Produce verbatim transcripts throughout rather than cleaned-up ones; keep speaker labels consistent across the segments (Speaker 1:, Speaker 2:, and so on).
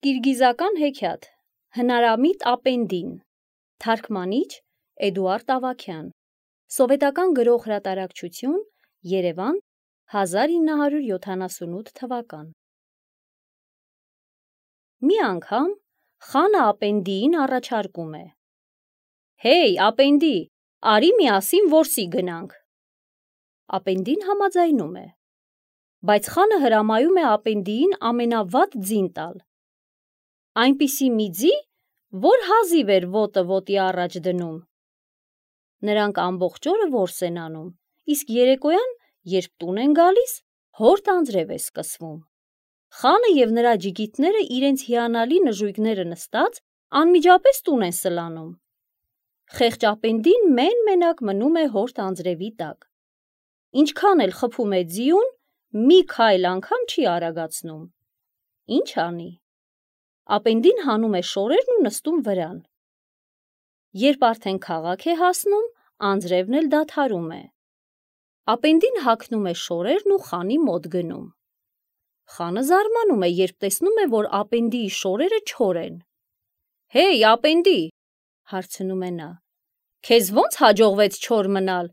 Speaker 1: Կիրգիզական հեքիաթ, հնարամիտ ապենդին, թարգմանիչ Էդուարդ Ավագյան, սովետական գրող հրատարակչություն, Երևան, հազար ինը հարյուր յոթանասունութ թվական։ Մի անգամ խանը ապենդիին առաջարկում է. «Հեյ, ապենդի, արի միասին որսի գնանք»։ Ապենդին համաձայնում է, բայց խանը հրամայում է ապենդիին ամենավատ ձին տալ։ Այնպիսի մի ձի, որ հազիվ էր ոտը ոտի առաջ դնում։ Նրանք ամբողջ օրը որս են անում, իսկ երեկոյան, երբ տուն են գալիս, հորդ անձրև է սկսվում։ Խանը և նրա ջիգիթները իրենց հիանալի նժույգները նստած անմիջապես տուն են սլանում։ Խեղճ ապենդին մեն-մենակ մնում է հորդ անձրևի տակ։ Ինչքան էլ խփում է ձիուն, մի քայլ անգամ չի արագացնում։ Ինչ անի։ Ապենդին հանում է շորերն ու նստում վրան։ Երբ արդեն քաղաք է հասնում, անձրևն էլ դադարում է։ Ապենդին հագնում է շորերն ու խանի մոտ գնում։ Խանը զարմանում է, երբ տեսնում է, որ ապենդիի շորերը չոր են։ «Հեյ, ապենդի», հարցնում է նա, «քեզ ո՞նց հաջողվեց չոր մնալ։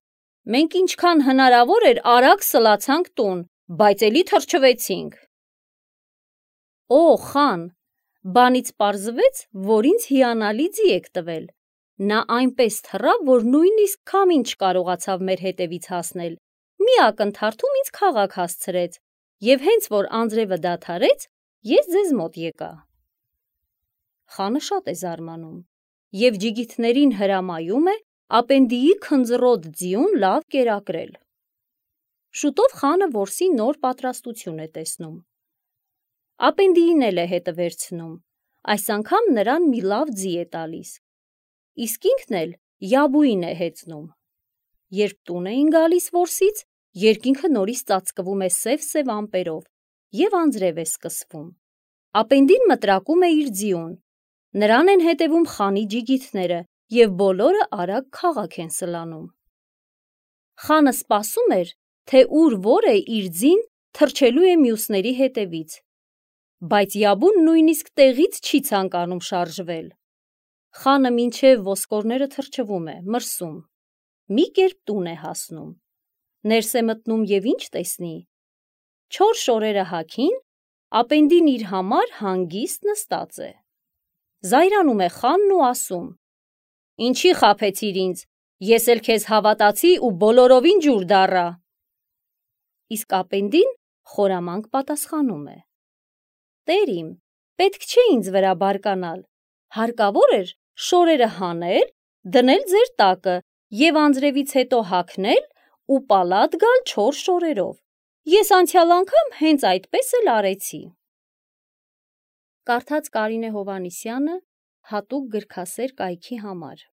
Speaker 1: Մենք ինչքան հնարավոր էր արագ սլացանք տուն, բայց էլի թրջվեցինք»։ «Օ, խան, բանից պարզվեց, որ ինձ հիանալի ձի եք տվել։ Նա այնպես թռավ, որ նույնիսկ քամին չկարողացավ մեր հետևից հասնել, մի ակնթարթում ինձ քաղաք հասցրեց, և հենց որ անձրևը դադարեց, ես ձեզ մոտ եկա»։ Խանը շատ է զարմանում և ջիգիթներին հրամայում է ապենդիի քնձռոտ ձիուն լավ կերակրել։ Շուտով խանը որսի նոր պատրաստություն է տեսնում։ Ապենդիին էլ է հետը վերցնում, այս անգամ նրան մի լավ ձի է տալիս, իսկ ինքն էլ յաբուին է հեծնում։ Երբ տուն էին գալիս որսից, երկինքը նորից ծածկվում է սև-սև ամպերով և անձրև է սկսվում։ Ապենդին մտրակում է իր ձիուն, նրան են հետևում խանի ջիգիթները և բոլորը արագ քաղաք են սլանում։ Խանը սպասում էր, թե ուր որ է իր ձին թռչելու է մյուսների հետևից, բայց յաբուն նույնիսկ տեղից չի ցանկանում շարժվել։ Խանը մինչև ոսկորները թրջվում է, մրսում, մի կերպ տուն է հասնում։ Ներս է մտնում և ինչ տեսնի։ Չոր շորերը հագին, ապենդին իր համար հանգիստ նստած է։ Զայրանում է խանն ու ասում. «Ինչի խաբեցիր ինձ, ես էլ քեզ հավատացի ու բոլորովին ջուր դառա»։ Իսկ ապենդին խորամանկ պատասխանում է. «Տեր իմ, պետք չէ ինձ վրա բարկանալ, հարկավոր էր շորերը հանել, դնել ձեր տակը և անձրևից հետո հագնել ու պալատ գալ չոր շորերով։ Ես անցյալ անգամ հենց այդպես էլ արեցի»։ Կարդաց Կարինե Հովհաննիսյանը հատուկ գրքասեր կայքի համար։